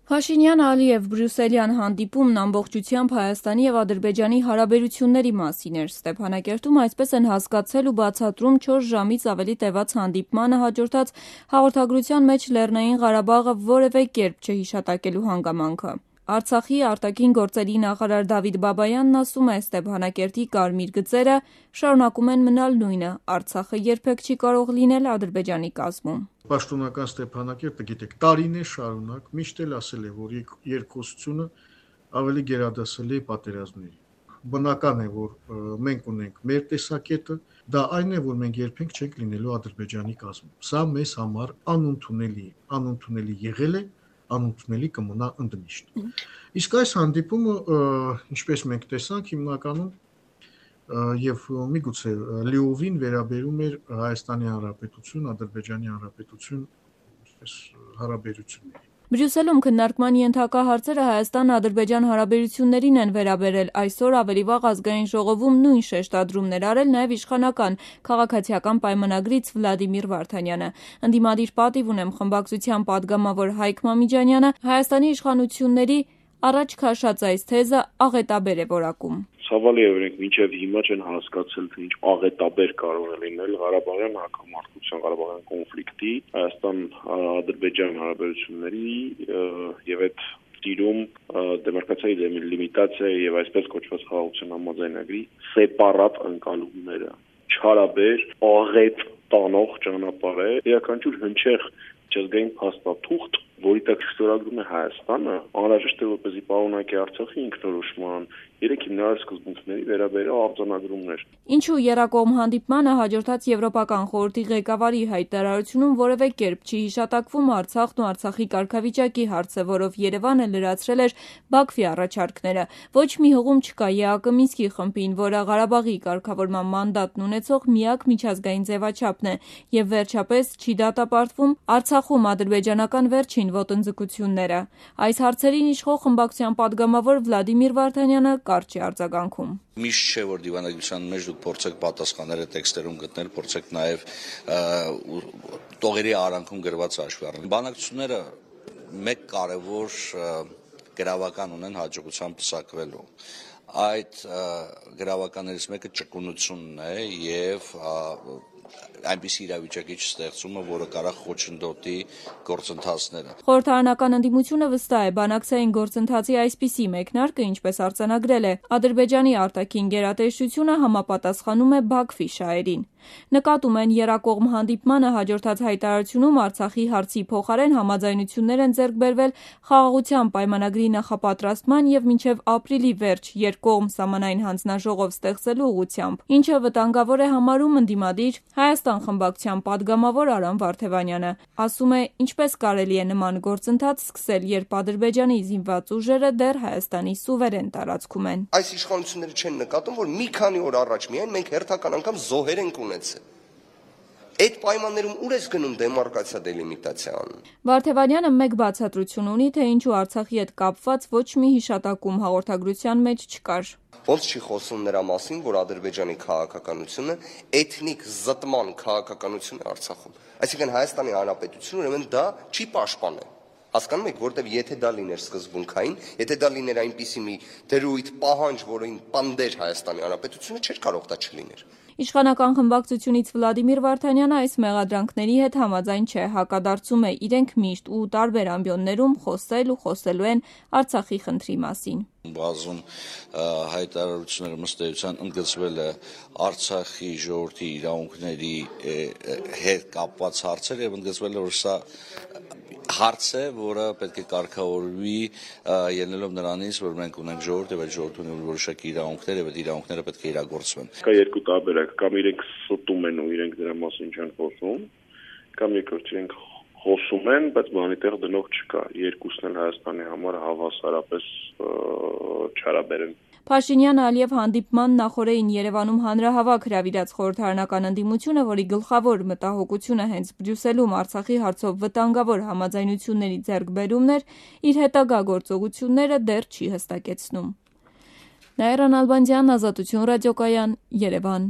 Փաշինյան-Ալիև բրյուսելյան հանդիպումն ամբողջությամբ Հայաստանի և Ադրբեջանի հարաբերությունների մասին էր։ Ստեփանակերտում այսպես են հասկացել ու բացատրում 4 ժամից ավելի տևած հանդիպմանը հաջորդած հաղորդագրության մեջ Լեռնային Ղարաբաղը որևէ կերպ չհիշատակելու հանգամանքը։ Արցախի արտաքին գործերի նախարար Դավիթ Բաբայանն ասում է, Ստեփանակերտի կարմիր գծերը շարունակում են մնալ նույնը, Արցախը երբեք չի կարող լինել Ադրբեջանի կազմում։ Պաշտոնական Ստեփանակերտը, գիտեք, տարիներ շարունակ միշտ էլ ասել է, որ երկխոսությունը ավելի գերադասել է պատերազմների։ Բնական է, որ մենք ունենք մեր տեսակետը, դա այն է, որ մենք երբեք չենք լինելու Ադրբեջանի կազմում։ Սա մեզ համար անընդունելի եղել է, անընդունելի կմնա ընդմիշտ։ Իսկ այս հանդիպումը, ինչպես մենք տեսանք, հիմնականում եւ միգուցե լիովին վերաբերում էր Հայաստանի Հանրապետություն, Ադրբեջանի Հանրապետություն հարաբերությունների։ Բրյուսելում քննարկման ենթակա հարցերը Հայաստան-Ադրբեջան հարաբերություններին են վերաբերել, այսօր ավելի վաղ ազգային ժողովում նույն շեշտադրումն էր արել նաև իշխանական քաղաքացիական պայմանագրից Վլադիմիր Վարդանյանը։ Ընդդիմադիր պատիվ ունեմ խմբակցության պատգամավոր Հայկ Մամիջանյանը Հայաստանի իշխանությունների առաջ քաշած այս թեզը աղետաբեր է որակում։ Ցավալի է, որ մինչև հիմա չեն հասկացել, թե ինչ աղետաբեր կարող է լինել Ղարաբաղյան հակամարտության, Ղարաբաղյան կոնֆլիկտի, Հայաստան-Ադրբեջան հարաբերությունների եւ այդ տիրում դեմարկացիայի լիմիտացիա եւ այսպես կոչված խաղաղության համաձայնագրի սեպարատ ընկալումները, չարաբեր, աղետ տանող ճանապարհ է, յուրաքանչյուր հնչեղ միջազգային փաստաթուղթ, որի տակ ստորագրում է Հայաստանը, անհրաժեշտ է որպեսզի պարունակի Արցախի ինքնորոշման 3 հիմնարար սկզբունքների վերաբերյալ արձանագրումներ։ Ինչու եռակողմ հանդիպմանը հաջորդած Եվրոպական խորհրդի ղեկավարի հայտարարությունում որևէ կերպ չի հիշատակվում Արցախն ու Արցախի կարգավիճակի հարցը, որով Երևանը լրացրել էր Բաքվի առաջարկները։ Ոչ մի հղում չկա ԵԱԿ Մինսկի խմբին, որը Ղարաբաղի կարգավորման մանդատն ունեցող միակ միջազգային ձևաչափն է, եւ վերջապես չի դատապարտվում Արցախում ադրբեջանական վերջին ոտնձգությունները։ Այս հարցերին իշխող խմբակցության պատգամավոր Վլադիմիր Վարդանյանը կարճ է արձագանքում։ Միշտ չէ, որ դիվանագիտության մեջ դուք փորձեք պատասխանները տեքստերում գտնել, փորձեք նաև տողերի արանքում գրված հաշվի առնել։ Բանակցությունները մեկ կարևոր գրավական ունեն հաջողությամբ պսակվելու։ Այդ գրավականներից մեկը ճկունությունն է եւ այնպիսի իրավիճակի չստեղծումը, որը կարող խոչընդոտի գործընթացները։ Խորհրդարանական ընդդիմությունը վստահ է, բանակցային գործընթացի այսպիսի մեկնարկը, ինչպես արձանագրել է, Ադրբեջանի արտաքին գերատեսչությունը համապատասխանում է Բաքվի շահերին։ Նկատում են եռակողմ հանդիպմանը հաջորդած հայտարարությունում Արցախի հարցի փոխարեն համաձայնություններ են ձեռք բերվել խաղաղության պայմանագրի նախապատրաստման եւ մինչեւ ապրիլի վերջ երկկողմ սահմանային հանձնաժողով ստեղծելու ուղղությամբ, ինչը վտանգավոր է համարում ընդդիմադիր Հայաստան խմբակցության պատգամավոր Արամ Վարդևանյանը։ Ասում է, ինչպես կարելի է նման գործընթաց սկսել, երբ Ադրբեջանի զինված ուժերը դեռ Հայաստանի սուվերեն տարածքում են։ Այս իշխանությունները չեն նկատում, որ մի քանի օր առաջ միայն մենք հերթական անգամ զոհեր ենք ունեցել։ Այդ պայմաններում ուր ես գնում դեմարկացիա դելիմիտացիան։ Վարդևանյանը մեկ բացատրություն ունի, թե ինչու Արցախի հետ կապված ոչ մի հիշատակում հաղորդագրության մեջ չկար։ Ոնց չի խոսում նրա մասին, որ Ադրբեջանի քաղաքականությունը էթնիկ զտման քաղաքականություն է Արցախում։ Այսինքն Հայաստանի Հանրապետությունը ուրեմն դա չի պաշտպանել։ Հասկանում եք, որտեվ եթե դա լիներ սկզբունքային, եթե դա լիներ այնպիսի մի դրույթ պահանջ, որին պնդեր Հայաստանի Հանրապետությունը, չէր կարող դա չլիներ։ Իշխանական խմբակցությունից Վլադիմիր Վարդանյանը այս մեղադրանքների հետ համաձայն չէ, հակադարձում է իրենք միշտ ու տարբեր ամբիոններում խոսել ու խոսելու են Արցախի խնդրի մասին։ Բազում հայտարարությունները ըստ էության ընդգծվել է Արցախի ժողովրդի իրավունքների հետ կապված հարցեր եւ ընդգծվել է, որ սա հարց է, որը պետք է կարգավորվի ելնելով նրանից, որ մենք ունենք ժողովուրդ եւ այդ ժողովուրդը ունի որոշակի իրավունքներ եւ այդ իրավունքները պետք է իրագործվեն։ Կա երկու տարբերակ, կամ իրենք ստում են ու իրենք դրա մասին չեն խոսում, կամ երկրորդ իրենք խոսում են, բայց բանի տեղ դնող չկա։ Երկուսն էլ Հայաստանի համար հավասարապես չարաբեր են։ Փաշինյան-Ալիև հանդիպման նախօրեին Երևանում հանրահավաք հրավիրած խորհրդարանական ընդդիմությունը, որի գլխավոր մտահոգությունը հենց Բրյուսելում Արցախի հարցով վտանգավոր համաձայնությունների ձեռքբերումն էր, իր հետագա գործողությունները դեռ չի հստակեցնում։ Նաիրա Նալբանդյան, Ազատություն ռադիոկայան, Երևան։